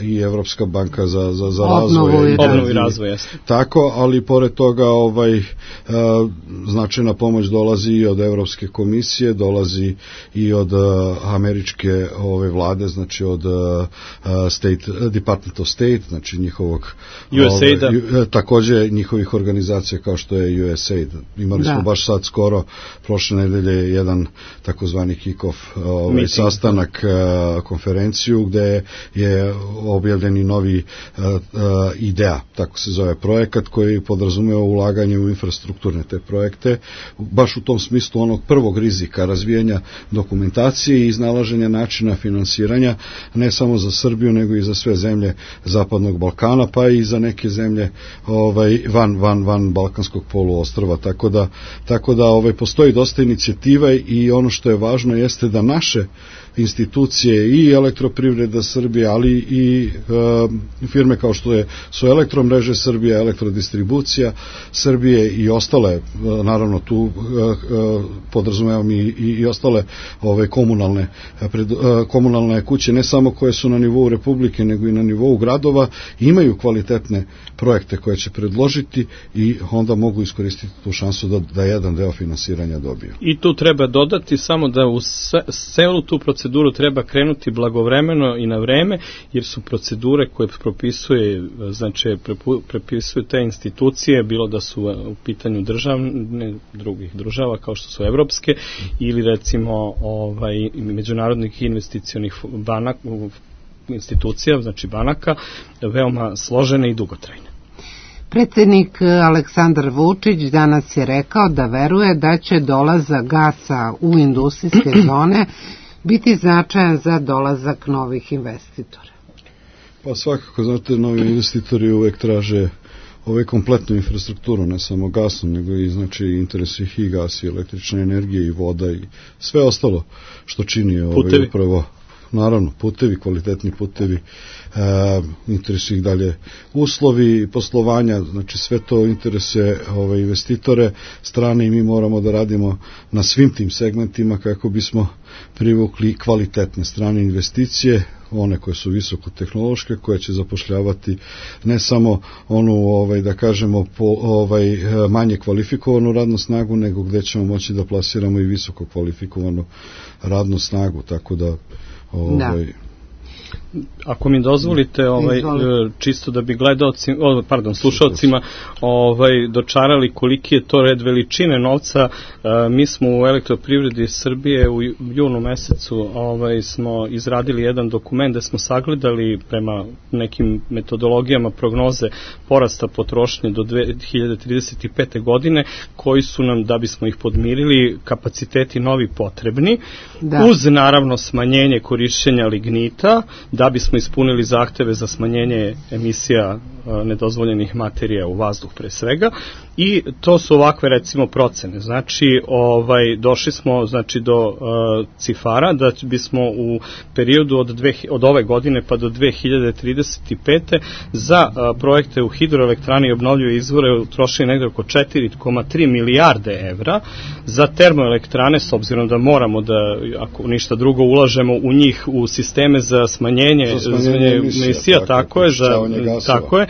i Evropska banka za, za, za razvoj. Obnovu i razvoj, jeste. Tako, ali pored toga ovaj, e, značajna pomoć dolazi i od Evropske komisije, dolazi i od američke ove vlade, znači od uh, State, Department of State, znači njihovog U S A I-da. Ove, takođe njihovih organizacija kao što je U S A I D. Imali da. smo baš sad skoro, prošle nedelje, jedan takozvani kick-off ovaj, sastanak, uh, konferenciju gde je objavljen i novi uh, uh, IDEA, tako se zove projekat, koji podrazumeva ulaganje u infrastrukturne te projekte, baš u tom smislu onog prvog rizika razvijanja dokumentacije i iznalaženja načina finansiranja, ne samo za Srbiju, nego i za sve zemlje Zapadnog Balkana, pa i za neke zemlje ovaj, van, van, van Balkanskog poluostrva. Tako da, tako da ovaj, postoji dosta inicijativa i ono što je važno jeste da naše institucije i Elektroprivreda Srbije, ali i e, firme kao što je, su Elektromreže Srbije, Elektrodistribucija Srbije i ostale, e, naravno tu e, e, podrazumevam i, i, i ostale ove komunalne, pred, e, komunalne kuće, ne samo koje su na nivou Republike, nego i na nivou gradova, imaju kvalitetne projekte koje će predložiti i onda mogu iskoristiti tu šansu da, da jedan deo finansiranja dobiju. I tu treba dodati samo da u celu tu proceduru treba krenuti blagovremeno i na vreme, jer su procedure koje propisuje, znači prepisuju te institucije, bilo da su u pitanju državne, drugih država kao što su evropske ili recimo ovaj, međunarodnih investicionih banak, institucija, znači banaka, veoma složene i dugotrajne. Predsjednik Aleksandar Vučić danas je rekao da veruje da će dolazak gasa u industrijske zone biti značajan za dolazak novih investitora. Pa svakako, znate, novi investitori uvek traže ove kompletnu infrastrukturu, ne samo gasnu, nego i znači interesu ih i gas i električna energija i voda i sve ostalo što čini ovaj upravo, naravno, putevi, kvalitetni putevi, e, interesu ih dalje uslovi poslovanja, znači sve to interese ove investitore strane i mi moramo da radimo na svim tim segmentima kako bismo privukli kvalitetne strane investicije, one koje su visokotehnološke, koje će zapošljavati ne samo onu, ovaj, da kažemo, po, ovaj, manje kvalifikovanu radnu snagu, nego gde ćemo moći da plasiramo i visoko kvalifikovanu radnu snagu, tako da ovaj, da. Ako mi dozvolite, ovaj, čisto da bi gledaoci, pardon, slušalcima ovaj, dočarali koliki je to red veličine novca, mi smo u Elektroprivredi Srbije u junu mesecu ovaj, smo izradili jedan dokument gde smo sagledali prema nekim metodologijama prognoze porasta potrošnje do dve hiljade trideset pete. godine, koji su nam, da bismo ih podmirili, kapaciteti novi potrebni, da. Uz naravno smanjenje korišćenja lignita uglja, da bismo ispunili zahteve za smanjenje emisija nedozvoljenih materija u vazduh pre svega, i to su ovakve recimo procene. Znači, ovaj, došli smo znači, do uh, cifara da bismo u periodu od, dve, od ove godine pa do dve hiljade trideset pete za uh, projekte u hidroelektrani i obnovljive izvore utrošili negde oko četiri zarez tri milijarde evra, za termoelektrane, s obzirom da moramo da, ako ništa drugo, ulažemo u njih u sisteme za smanjenje, za smanjenje emisija, emisija, tako, tako je, za, tako je,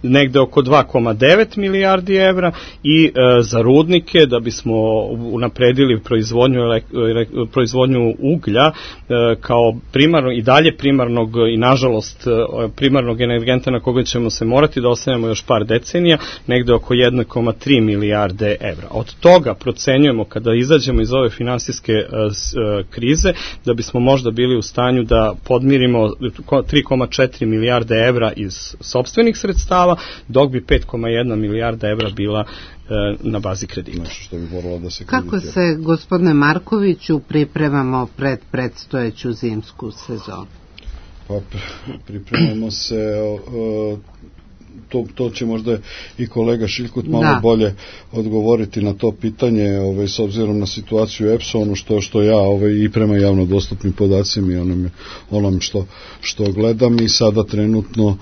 negde oko dva zarez devet milijardi evra, i e, za rudnike, da bismo unapredili proizvodnju, elek, proizvodnju uglja e, kao primarno i dalje primarnog i nažalost primarnog energenta na koga ćemo se morati da ostanemo još par decenija, negde oko jedna zarez tri milijarde evra. Od toga procenjujemo, kada izađemo iz ove finansijske e, krize, da bismo možda bili u stanju da podmirimo tri zarez četiri milijarde evra iz sopstvenih sredstava, dok bi pet zarez jedna milijarda evra bila e, na bazi kredita. Što bi moralo da se Kako se, gospodine Markoviću, pripremamo pred predstojeću zimsku sezonu? Pa pripremamo se, o, to, to će možda i kolega Šiljkut malo da. bolje odgovoriti na to pitanje, ovaj, s obzirom na situaciju u E P S-u, ono što, što ja ovaj, i prema javno dostupnim podacima i onom, onom što, što gledam, i sada trenutno uh,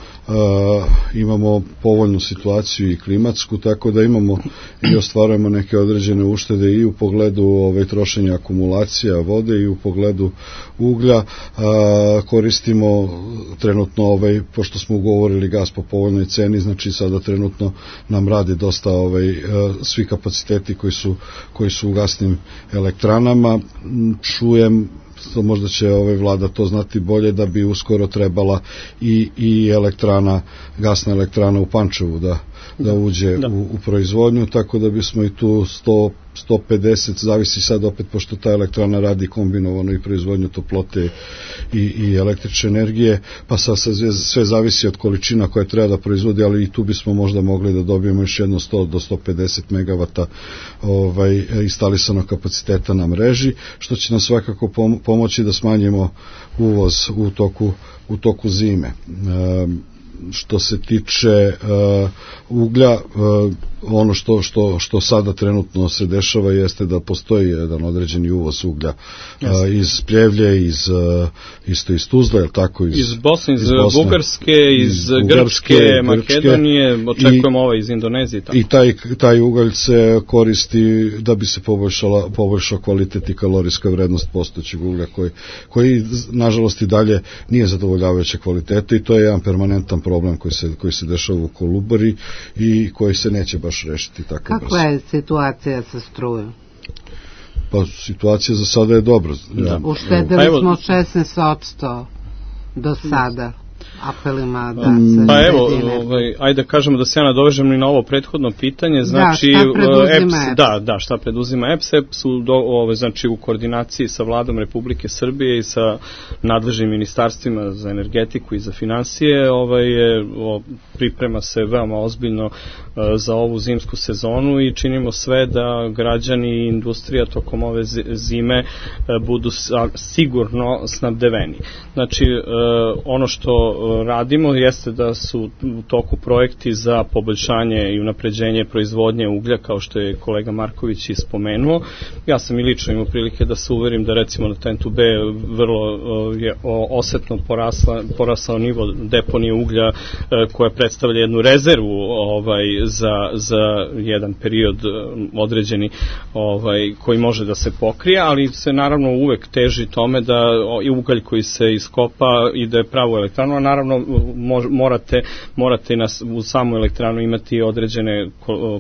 imamo povoljnu situaciju i klimatsku, tako da imamo i ostvarujemo neke određene uštede i u pogledu ovaj, trošenja akumulacija vode i u pogledu uglja. Uh, koristimo trenutno, ovaj, pošto smo ugovorili gas po povoljnoj ceni, znači sada trenutno nam radi dosta ovaj, svi kapaciteti koji su, koji su u gasnim elektranama. Čujem, možda će ovaj vlada to znati bolje, da bi uskoro trebala i, i elektrana, gasna elektrana u Pančevu da, da uđe da. U, u proizvodnju, tako da bismo i tu sto, sto pedeset, zavisi sad opet, pošto ta elektrana radi kombinovano i proizvodnju toplote i, i električne energije, pa sad sve, sve zavisi od količina koje treba da proizvodi, ali i tu bismo možda mogli da dobijemo još jedno sto do sto pedeset megavata ovaj, instalisanog kapaciteta na mreži, što će nam svakako pomoći da smanjimo uvoz u toku, u toku zime. E, što se tiče uh, uglja, uh, ono što, što, što sada trenutno se dešava jeste da postoji jedan određeni uvoz uglja uh, iz Pljevlje, iz, uh, isto iz Tuzle, je li tako? Iz, iz Bosne, iz, iz Bosne, Bugarske, iz, iz Grčke, Grčke, Makedonije, očekujemo i, ovaj iz Indonezije. Tako. I taj, taj ugalj se koristi da bi se poboljšala, poboljšao kvalitet i kalorijska vrednost postojećeg uglja, koji, koji nažalost i dalje nije zadovoljavajuće kvalitete, i to je jedan permanentan problem koji se, koji se dešava u Kolubari i koji se neće baš rešiti tako brzo. Kakva je situacija sa strujom? Pa situacija za sada je dobra. Da. Uštedili pa smo šesnaest posto do sada apelima da se... Pa evo, ovaj, ajde da kažemo da se ja nadovežem i na ovo prethodno pitanje, znači... Da, šta preduzima E P S? Da, da, šta preduzima E P S? E P S u, do, ovaj, znači, u koordinaciji sa vladom Republike Srbije i sa nadležnim ministarstvima za energetiku i za finansije, ovaj, je, o, priprema se veoma ozbiljno uh, za ovu zimsku sezonu i činimo sve da građani i industrija tokom ove zime uh, budu sa, sigurno snabdeveni. Znači, uh, ono što radimo jeste da su u toku projekti za poboljšanje i unapređenje proizvodnje uglja, kao što je kolega Marković i spomenuo. Ja sam i lično imao prilike da se uverim da recimo na Tentu B vrlo je osetno porasla, porasao nivo deponije uglja koja predstavlja jednu rezervu ovaj, za, za jedan period određeni ovaj, koji može da se pokrije, ali se naravno uvek teži tome da i ugalj koji se iskopa ide pravo elektranu, a naravno morate, morate na, u samu elektranu imati određene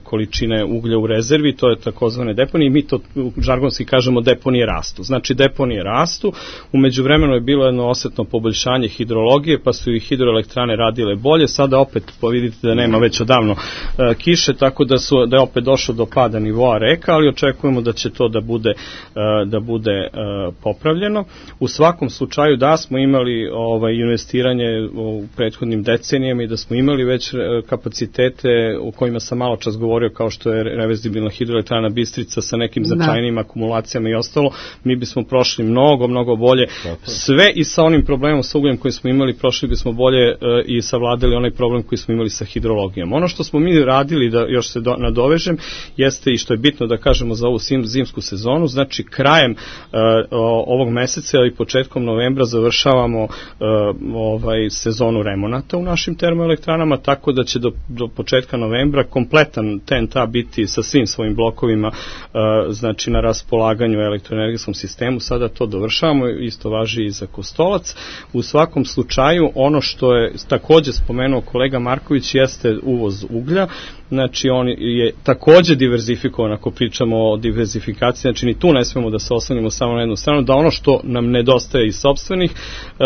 količine uglja u rezervi, to je takozvane deponije, mi to žargonski kažemo deponije rastu. Znači deponije rastu, umeđu vremenu je bilo jedno osetno poboljšanje hidrologije, pa su i hidroelektrane radile bolje, sada opet vidite da nema već odavno uh, kiše, tako da, su, da je opet došlo do pada nivoa reka, ali očekujemo da će to da bude, uh, da bude uh, popravljeno. U svakom slučaju da smo imali ovaj, investiranje u prethodnim decenijama i da smo imali već kapacitete u kojima sam malo čas govorio, kao što je reverzibilna hidroelektrana Bistrica sa nekim značajnim da. akumulacijama i ostalo, mi bismo prošli mnogo, mnogo bolje. Tako. Sve i sa onim problemom sa ugljem koji smo imali, prošli bismo bolje i savladali onaj problem koji smo imali sa hidrologijom. Ono što smo mi radili, da još se do, nadovežem, jeste i što je bitno da kažemo za ovu zimsku sezonu, znači krajem uh, ovog meseca ili početkom novembra završavamo uh, ovaj sezonu remonata u našim termoelektranama, tako da će do, do početka novembra kompletan T N T biti sa svim svojim blokovima uh, znači na raspolaganju u elektroenergetskom sistemu. Sada to dovršavamo, isto važi i za Kostolac. U svakom slučaju, ono što je takođe spomenuo kolega Marković jeste uvoz uglja. Znači on je takođe diverzifikovan, ako pričamo o diverzifikaciji, znači ni tu ne smemo da se oslanimo samo na jednu stranu, da ono što nam nedostaje iz sopstvenih e,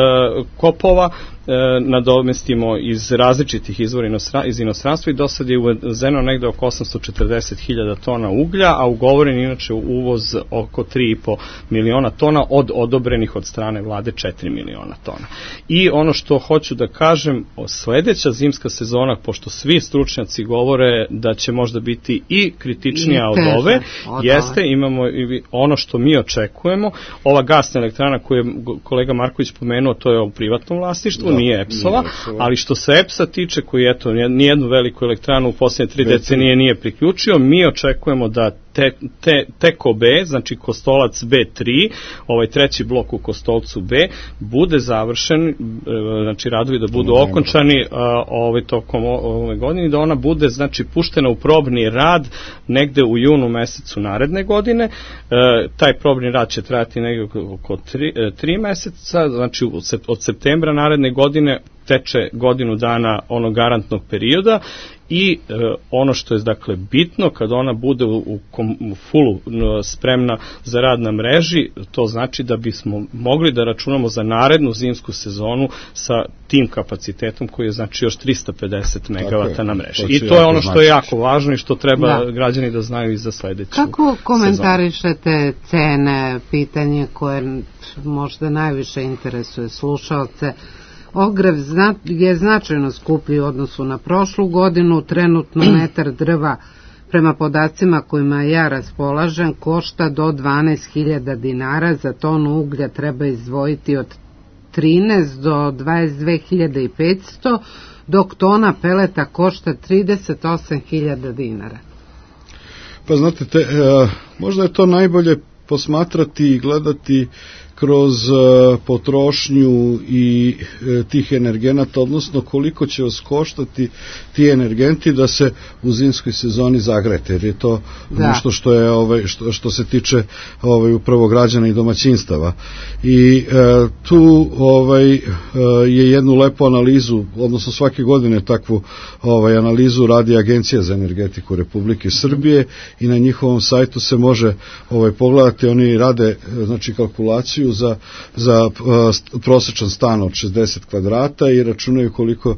kopova e, nadomestimo iz različitih izvora inostra, iz inostranstva i do sad je uvezeno negde oko osamsto četrdeset hiljada tona uglja, a ugovoren inače uvoz oko tri i po miliona tona od odobrenih od strane vlade četiri miliona tona. I ono što hoću da kažem, sledeća zimska sezona, pošto svi stručnjaci govore da će možda biti i kritičnija od ove, jeste, imamo i ono što mi očekujemo, ova gasna elektrana koju je kolega Marković pomenuo, to je u privatnom vlasništvu, da, nije E P S-ova, ali što se E P S-a tiče, koji eto, nijednu veliku elektranu u posljednje tri decenije nije priključio, mi očekujemo da te, te, Teko B, znači Kostolac B tri, ovaj treći blok u Kostolcu B, bude završen, znači radovi da budu okončani ovaj, tokom ove godine, da ona bude, znači, puštena u probni rad negde u junu mesecu naredne godine. E, taj probni rad će trajati negde oko tri, tri meseca, znači od septembra naredne godine teče godinu dana onog garantnog perioda i e, ono što je dakle bitno, kad ona bude u, u, u fullu spremna za rad na mreži, to znači da bismo mogli da računamo za narednu zimsku sezonu sa tim kapacitetom koji je znači još trista pedeset megavata na mreži. To I to je ono što je jako važno i što treba da. građani da znaju i za sledeću sezonu. Kako komentarišete cene, pitanje koje možda najviše interesuje slušalce? Ogrev je značajno skuplji u odnosu na prošlu godinu, trenutno metar drva prema podacima kojima ja raspolažem košta do dvanaest hiljada dinara, za tonu uglja treba izdvojiti od trinaest do dvadeset dve hiljade petsto, dok tona peleta košta trideset osam hiljada dinara. Pa znate, te, e, možda je to najbolje posmatrati i gledati kroz uh, potrošnju i uh, tih energenata, odnosno koliko će vas koštati ti energenti da se u zimskoj sezoni zagrete, jer je to da. nešto što je ovaj što, što se tiče ovaj upravo građana i domaćinstava. I uh, tu ovaj uh, je jednu lepu analizu, odnosno svake godine takvu ovaj analizu radi Agencija za energetiku Republike Srbije i na njihovom sajtu se može ovaj pogledati, oni rade znači kalkulaciju za, za uh, prosječan stan od šezdeset kvadrata i računaju koliko uh,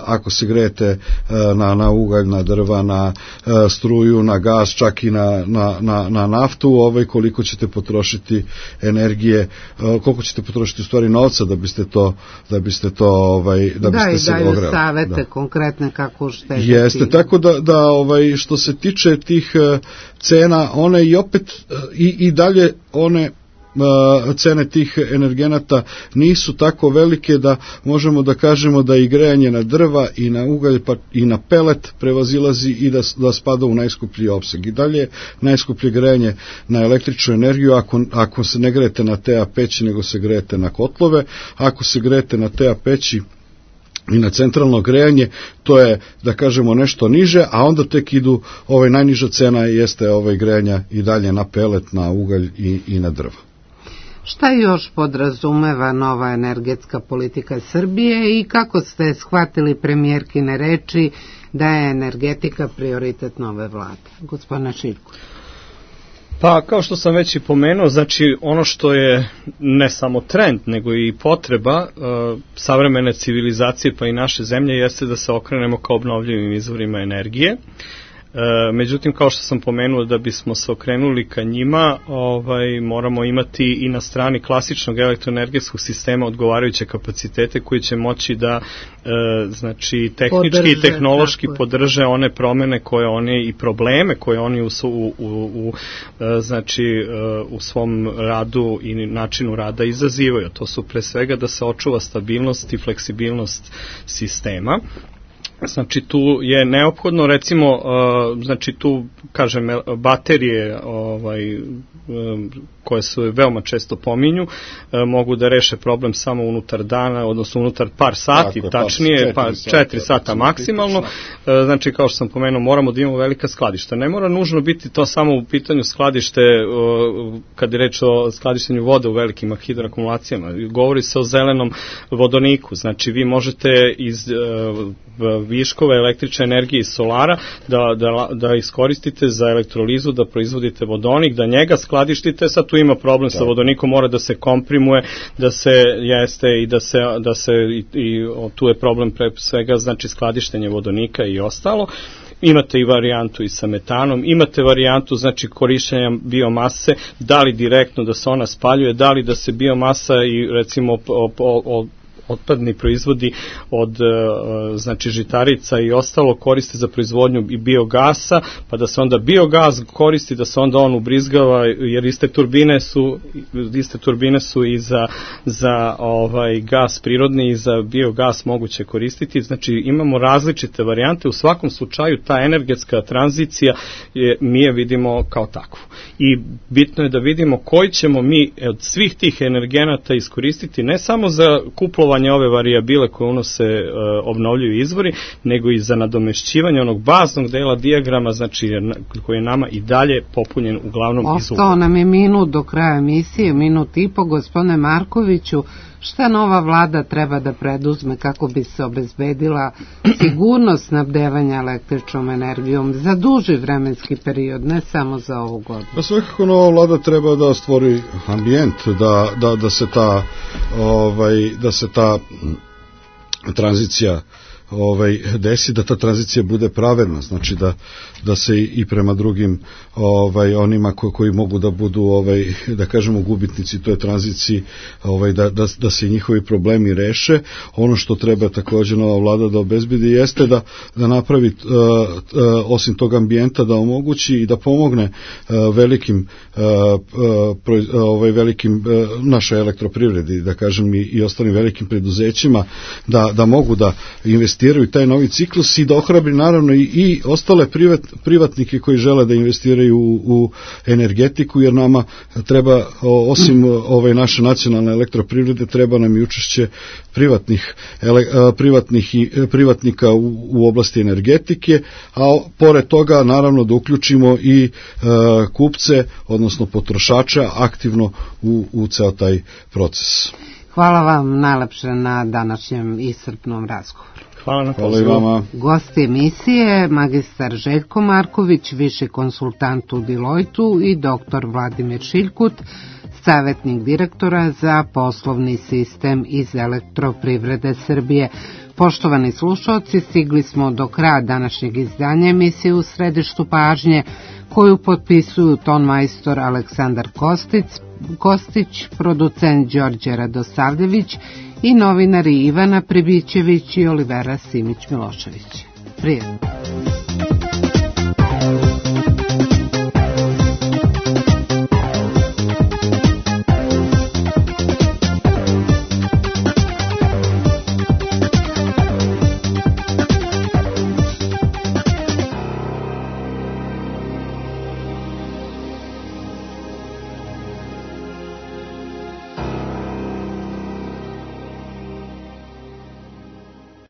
ako se grejete uh, na, na ugalj, na drva, na uh, struju, na gas, čak i na, na, na, na naftu, ovaj, koliko ćete potrošiti energije, uh, koliko ćete potrošiti u stvari novca da biste to da biste to ovaj da biste da, se ogreli. Da, i daju savete konkretne kako uštediti. Jeste, tako da, da ovaj, što se tiče tih uh, cena, one i opet uh, i, i dalje one cene tih energenata nisu tako velike da možemo da kažemo da i grejanje na drva i na ugalj pa i na pelet prevazilazi i da, da spada u najskuplji opseg. I dalje najskuplje grejanje na električnu energiju ako, ako se ne grejete na T A peći nego se grejete na kotlove, ako se grejete na T A peći i na centralno grejanje, to je, da kažemo, nešto niže, a onda tek idu, ovaj najniža cena jeste ovaj grejanja i dalje na pelet, na ugalj i, i na drva. Šta još podrazumeva nova energetska politika Srbije i kako ste shvatili premijerkine reči da je energetika prioritet nove vlade? Gospodine Šiljko. Pa, kao što sam već i pomenuo, znači ono što je ne samo trend, nego i potreba uh, savremene civilizacije pa i naše zemlje jeste da se okrenemo ka obnovljivim izvorima energije. E, međutim, kao što sam pomenuo, da bismo se okrenuli ka njima, ovaj, moramo imati i na strani klasičnog elektroenergetskog sistema odgovarajuće kapacitete koji će moći da e, znači tehnički podrže, i tehnološki podrže one promene koje oni i probleme koje oni u, u, u, u, znači, u svom radu i načinu rada izazivaju. To su pre svega da se očuva stabilnost i fleksibilnost sistema. Znači tu je neophodno, recimo, uh, znači tu, kažem, baterije ovaj, um, koje se veoma često pominju, uh, mogu da reše problem samo unutar dana, odnosno unutar par sati, tako, tačnije, pa četiri sata maksimalno. Uh, znači, kao što sam pomenuo, moramo da imamo velika skladišta. Ne mora nužno biti to samo u pitanju skladište, uh, kad je reč o skladištenju vode u velikim hidroakumulacijama. Govori se o zelenom vodoniku. Znači, vi možete iz uh, viškove električne energije iz solara da, da, da iskoristite za elektrolizu, da proizvodite vodonik, da njega skladištite. Sad tu ima problem sa vodonikom, mora da se komprimuje, da se jeste i da se, da se i, i tu je problem pre svega, znači skladištenje vodonika i ostalo. Imate i varijantu i sa metanom, imate varijantu, znači, korišćenja biomase, da li direktno da se ona spaljuje, da li da se biomasa i recimo o, o, o otpadni proizvodi od znači žitarica i ostalo koriste za proizvodnju i biogasa, pa da se onda biogas koristi, da se onda on ubrizgava, jer iste turbine su iste turbine su i za, za ovaj gas prirodni i za biogas moguće koristiti. Znači imamo različite varijante. U svakom slučaju ta energetska tranzicija je, mi je vidimo kao takvu. I bitno je da vidimo koji ćemo mi od svih tih energenata iskoristiti, ne samo za kuplovanje ove varijabile koje unose e, obnovljivi izvori, nego i za nadomešćivanje onog baznog dela dijagrama, znači koji je nama i dalje popunjen uglavnom iz ugla. Ostao nam je minut do kraja emisije, minut i po. Gospodine Markoviću, šta nova vlada treba da preduzme kako bi se obezbedila sigurnost snabdevanja električnom energijom za duži vremenski period, ne samo za ovu godinu? Pa svakako nova vlada treba da stvori ambijent, da, da, da se ta ovaj, da se ta tranzicija ovaj desi, da ta tranzicija bude pravedna, znači da da se i prema drugim ovaj onima koji, koji mogu da budu ovaj da kažemo gubitnici toj tranziciji, ovaj da da da se njihovi problemi reše. Ono što treba takođe nova vlada da obezbedi jeste da da napravi uh, uh, osim tog ambijenta da omogući i da pomogne uh, velikim uh, uh, ovaj velikim uh, našoj elektroprivredi, da kažem i, i ostalim velikim preduzećima da da mogu da investiraju taj novi ciklus i da ohrabri naravno i, i ostale privat, privatnike koji žele da investiraju u, u energetiku, jer nama treba, osim ove naše nacionalne elektroprivrede, treba nam i učešće privatnih, ele, privatnih i, privatnika u, u oblasti energetike, a pored toga naravno da uključimo i e, kupce, odnosno potrošača aktivno u, u ceo taj proces. Hvala vam najlepše na današnjem iscrpnom razgovoru. Hvala na Hvala i vama. Gosti emisije magistar Željko Marković, viši konsultant u Deloitu, i doktor Vladimir Šiljkut, savjetnik direktora za poslovni sistem iz Elektroprivrede Srbije. Poštovani slušalci, stigli smo do kraja današnjeg izdanja emisije U središtu pažnje, koju potpisuju tonmajstor Aleksandar Kostić, Kostić, producent Đorđe Radosavljević i novinari Ivana Pribićević i Olivera Simić-Milošević. Prijetno.